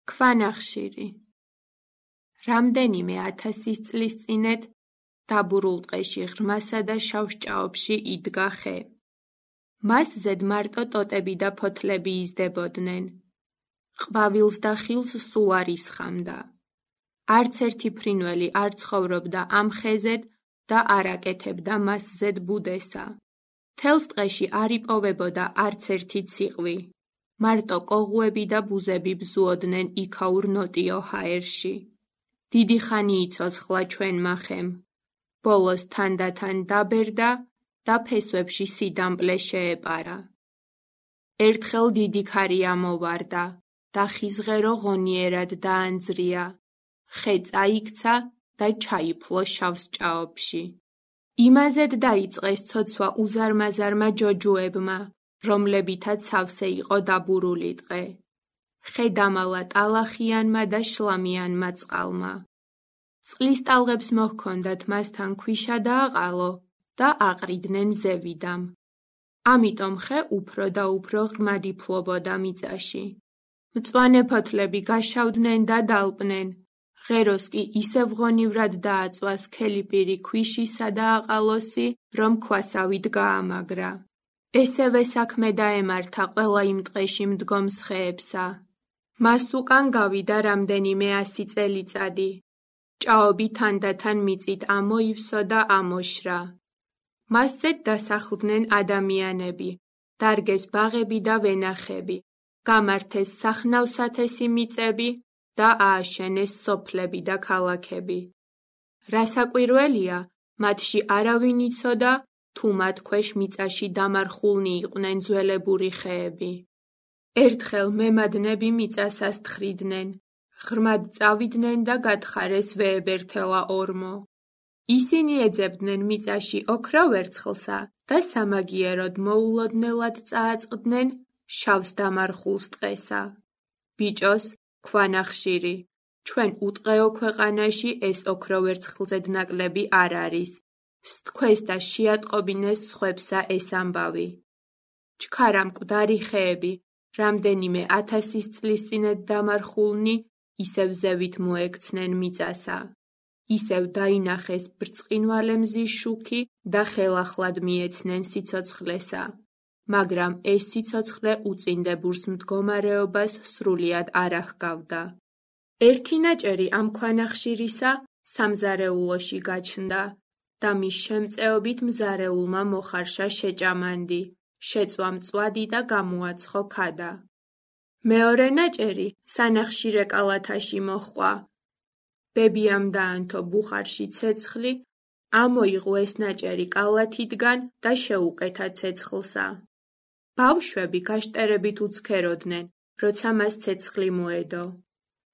ქვანახშირი. რამდენიმე 1000 წლის წინეთ დაბურულ ტყეში ღრმასა და შავ ჭაობში იდგა ხე. მას ზედ მარტო ტოტები და ფოთლები იზდებოდნენ. ყვავილს და ხილს სულ არ ისხამდა. არც ერთი ფრინველი არ ცხოვრობდა ამ ხეზედ და არ აკეთებდა მას ზედ ბუდესა. თელს ტყეში არ იპოვებოდა არც ერთი ციყვი. მარტო კოღუები და ბუზები ბზუოდნენ იქაურ ნოტიო ჰაერში. დიდი ხანი იცოცხლა ჩვენმა ხემ. ბოლოს თანდათან დაბერდა და ფესვებში სიდამპლე შეეპარა. ერთხელ დიდი ქარი ამოვარდა და ხიზღერო ღონიერად დაანძრია. ხე წაიქცა და ჩაიფლო შავს ჭაობში. იმაზედ დაიწყეს ცოცვა უზარმაზარმა ჯოჯუებმა, რომლებითაც სავსე იყო დაბურული ტყე. ხე დამალა ტალახიანმა და შლამიანმა წყალმა. წყლის ტალღებს მოჰქონდათ მასთან ქვიშა და აყალო და აყრიდნენ ზევიდამ. ამიტომ ხე უფრო და უფრო ღრმად იფლობოდა მიწაში. მწვანე ფოთლები გაშავდნენ და დალპნენ. ღეროს კი ისევ ღონივრად დააწვა სქელი პირი ქვიშისა და აყალოსი, რომ ქვასავით გაამაგრა. ესევე საქმე დაემართა ყველა იმ ტყეში მდგომს ხეებსა. მას უკან გავიდა რამდენიმე 100 წელიწადი. ჭაობი თანდათან მიწით ამოივსო და ამოშრა. მასზედ დასახლდნენ ადამიანები, დარგეს ბაღები და ვენახები, გამართეს სახნავ-სათესი მიწები და ააშენეს სოფლები და ქალაქები. რასაკვირველია, მათში არავინ იცოდა, თუ მათ ქვეშ მიწაში დამარხულნი იყვნენ ძველებური ხეები. ერთხელ მემადნები მიწასას თხრიდნენ, ღრმად წავიდნენ და გათხარეს ვეებერთელა ორმო. ისინი ეძებდნენ მიწაში ოქროვერცხლსა და სამაგიეროდ მოულოდნელად წააწყდნენ შავს დამარხულს ტყესა. ბიჭოს, ქვანახშირი, ჩვენ უტყეო ქვეყანაში ეს ოქროვერცხლზედ ნაკლები არ არის. სთქვეს და შეატყობინეს სხვებსა ეს ამბავი. ჩქარა მკვდარი ხეები, რამდენიმე 1000 წლის წინეთ დამარხულნი, ისევ ზევით მოექცნენ მიწასა. ისევ დაინახეს ბრწყინვალე მზის შუქი და ხელახლად მიეცნენ სიცოცხლესა. მაგრამ ეს სიცოცხლე უწინდებურს მდგომარეობას სრულიად არ აღგავდა. ერთი ნაჭერი ამ ქვანახშირისა სამზარეულოში გაჩნდა და მის შემწეობით მზარეულმა მოხარშა შეჭამანდი, შეწვა მწვადი და გამოაცხო ქადა. მეორე ნაჭერი სანახშირე კალათაში მოჰყვა. ბებიამ დაანთო ბუხარში ცეცხლი, ამოიღო ეს ნაჭერი კალათიდან და შეუკეთა ცეცხლსა. ბავშვები გაშტერებით უცქეროდნენ, როცა მას ცეცხლი მოედო.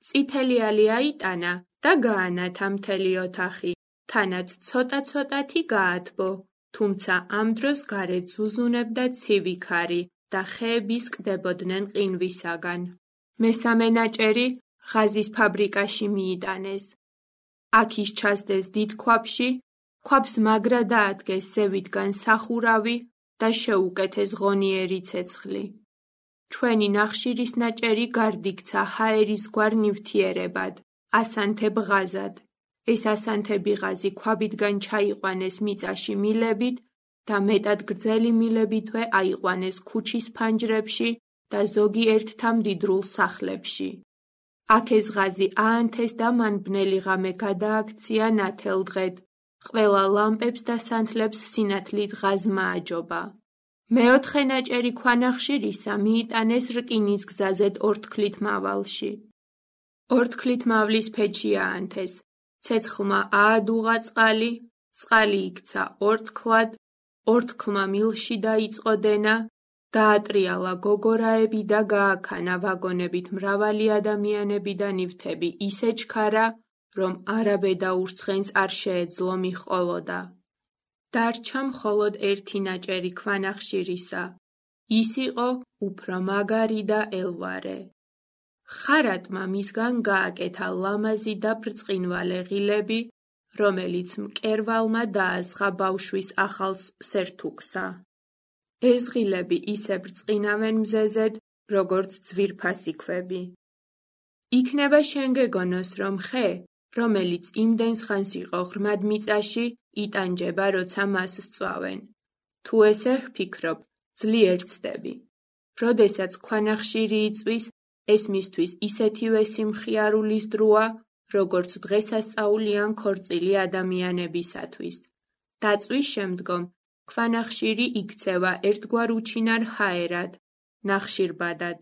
წითელი ალი აიტანა და გაანათა მთელი ოთახი, თანაც ცოტა-ცოტათი გაათბო, თუმცა ამ დროს გარეთ ზუზუნებდა ცივი ქარი და ხეები სკდებოდნენ ყინვისაგან. მესამე ნაჭერი ღაზის ფაბრიკაში მიიტანეს. აქ ის ჩასდეს დიდ ქვაბში, ქვაბს მაგრა დაადგეს ზევიდან სახურავი და შეუკეთეს ღონიერი ცეცხლი. ჩვენი ნახშირის ნაჭერი გარდიქცა ჰაერისგვარ ნივთიერებად, ასანთებ ღაზად. ეს ასანთები ღაზი ქვაბიდან ჩაიყვანეს მიწაში მილებით და მეტად გრძელი მილებითვე აიყვანეს ქუჩის ფანჯრებში და ზოგიერთ მდიდრულ სახლებში. აქ ეს ღაზი აანთეს და მან ბნელი ღამე გადააქცია ნათელ დღედ. ყველა ლამპებს და სანთლებს სინათლით ღაზმა აჯობა. მეოთხე ნაჭერი ქვანახშირისა მიიტანეს რკინის გზაზედ ორთქლით მავალში. ორთქლით მავლის ფეჩი აანთეს. ცეცხლმა აადუღა წყალი, წყალი იქცა ორთქლად, ორთქლმა მილში დაიწყო დენა, დაატრიალა გოგორაები და გააქანა ვაგონებით მრავალი ადამიანები და ნივთები ისე ჩქარა, რომ არაბედა ურცხენს არ შეეძლო მიჰყოლოდა. დარჩა მხოლოდ ერთი ნაჭერი ქვანახშირისა. ის იყო უფრო მაგარი და ელვარე. ხარატმა მისგან გააკეთა ლამაზი და ბრწყინვალე ღილები, რომელიც მკერვალმა დაასხა ბავშვის ახალ სერთუქსა. ეს ღილები ისე ბრწყინავენ მზეზედ, როგორც ძვირფასი ქვები. იქნება შენ გეგონოს, რომ ხე, რომელიც იმდენს ხანს იყო ღრმად მიწაში, იტანჯება, როცა მას სწვავენ. თუ ესე ვფიქრობ, ძლიერ ცდები. როდესაც ქვანახშირი იწვის, ეს მისთვის ისეთივე სიმხიარულის დროა, როგორც დღესასწაული ან ქორწილი ადამიანებისათვის. დაწვის შემდგომ, ქვანახშირი იქცევა ერთგვარ უჩინარ ჰაერად, ნახშირბადად.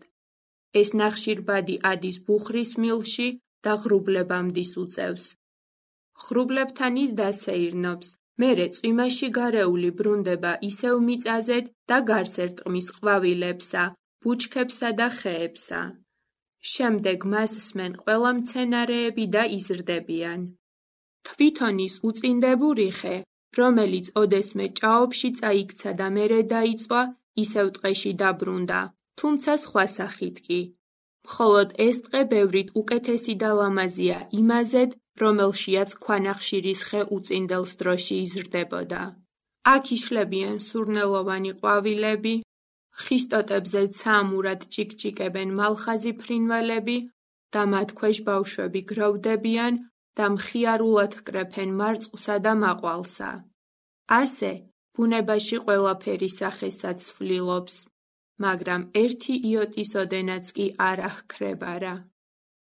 ეს ნახშირბადი ადის ბუხრის მილში და ღრუბლებამდის უწევს. ღრუბლებთან ის დასეირნობს, მერე წვიმაში გარეული ბრუნდება ისევ მიწაზედ და გარს ერტყმის ყვავილებსა, ბუჩქებსა და ხეებსა. შემდეგ მას სმენ ყველა მცენარეები და იზრდებიან. თვითონ ის უწინდებული ხე, რომელიც ოდესმე ჭაობში წაიქცა და მერე დაიწვა, ისევ ტყეში დაბრუნდა, თუმცა სხვა სახით კი. მხოლოდ ეს ტყე ბევრით უკეთესი და ლამაზია იმაზედ, რომელშიაც ქვანახშირის ხე უწინდელს დროში იზრდებოდა. აქ იშლებიან სურნელოვანი ყვავილები, ხის ტოტებზე ცამურად ჭიკჭიკებენ მალხაზი ფრინველები და მათ ქვეშ ბავშვები გროვდებიან და მხიარულად კრეფენ მარწყვლსა და მაყვალსა. ასე ბუნებაში ყველაფერი სახესაც ცვლილობს, მაგრამ ერთი იოტის ოდენაც კი არ აჰქრებარა.